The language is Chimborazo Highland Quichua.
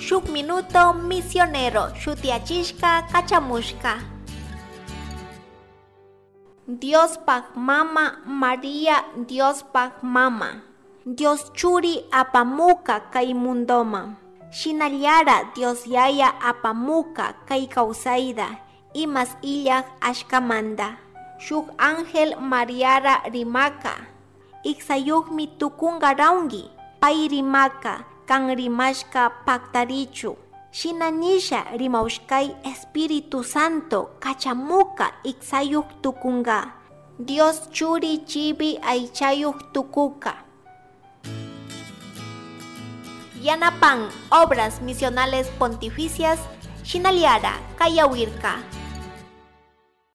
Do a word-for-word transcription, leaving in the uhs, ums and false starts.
Shuk Minuto Misionero shutiachishka kachamushka. Diospaj mama María, Diospaj mama. Dios churi apamuka kay mundoman. Shinallara Dios yaya apamuka kay kawsayta imas illaj ashkamanta. Shuk ángel Mariara rimaka. Iksayukmi tukunga rawnki. Pay rimaka kan rimashka paktarichu. Shina nisha rimawshkay Espíritu Santo kachamuka iksayuk tukunga. Dios churi chibi aychayuk tukuka. Yanapan Obras Misionales Pontificias, Shinaliara, Kayawirka.